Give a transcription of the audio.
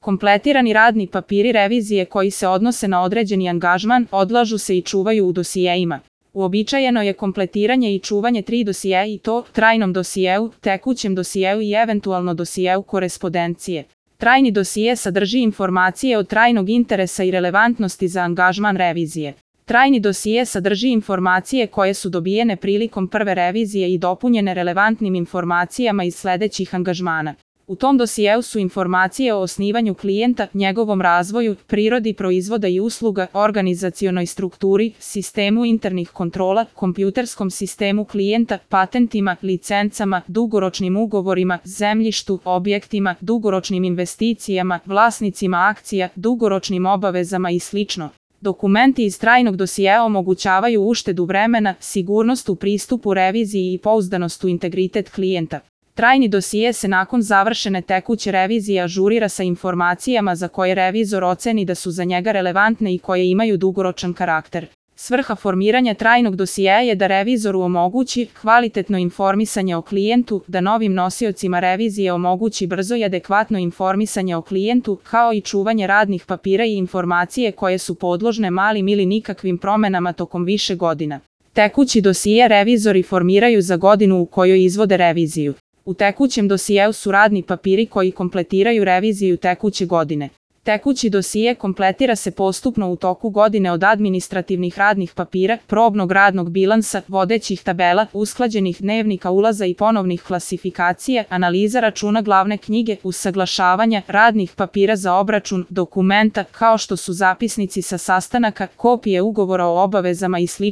Kompletirani radni papiri revizije koji se odnose na određeni angažman odlažu se i čuvaju u dosijeima. Uobičajeno je kompletiranje i čuvanje 3 dosijea i to trajnom dosijeu, tekućem dosijeu i eventualno dosijeu korespondencije. Trajni dosije sadrži informacije od trajnog interesa i relevantnosti za angažman revizije. Trajni dosije sadrži informacije koje su dobijene prilikom prve revizije i dopunjene relevantnim informacijama iz sledećih angažmana. U tom dosijeu su informacije o osnivanju klijenta, njegovom razvoju, prirodi proizvoda i usluga, organizacionoj strukturi, sistemu internih kontrola, kompjuterskom sistemu klijenta, patentima, licencama, dugoročnim ugovorima, zemljištu, objektima, dugoročnim investicijama, vlasnicima akcija, dugoročnim obavezama i sl. Dokumenti iz trajnog dosijea omogućavaju uštedu vremena, sigurnost u pristupu reviziji i pouzdanost u integritet klijenta. Trajni dosije se nakon završene tekuće revizije ažurira sa informacijama za koje revizor oceni da su za njega relevantne i koje imaju dugoročan karakter. Svrha formiranja trajnog dosijeja je da revizoru omogući kvalitetno informisanje o klijentu, da novim nosiocima revizije omogući brzo i adekvatno informisanje o klijentu, kao i čuvanje radnih papira i informacije koje su podložne malim ili nikakvim promenama tokom više godina. Tekući dosije revizori formiraju za godinu u kojoj izvode reviziju. U tekućem dosijeu su radni papiri koji kompletiraju reviziju tekuće godine. Tekući dosije kompletira se postupno u toku godine od administrativnih radnih papira, probnog radnog bilansa, vodećih tabela, usklađenih dnevnika ulaza i ponovnih klasifikacija, analiza računa glavne knjige, usaglašavanja, radnih papira za obračun, dokumenta, kao što su zapisnici sa sastanaka, kopije ugovora o obavezama i sl.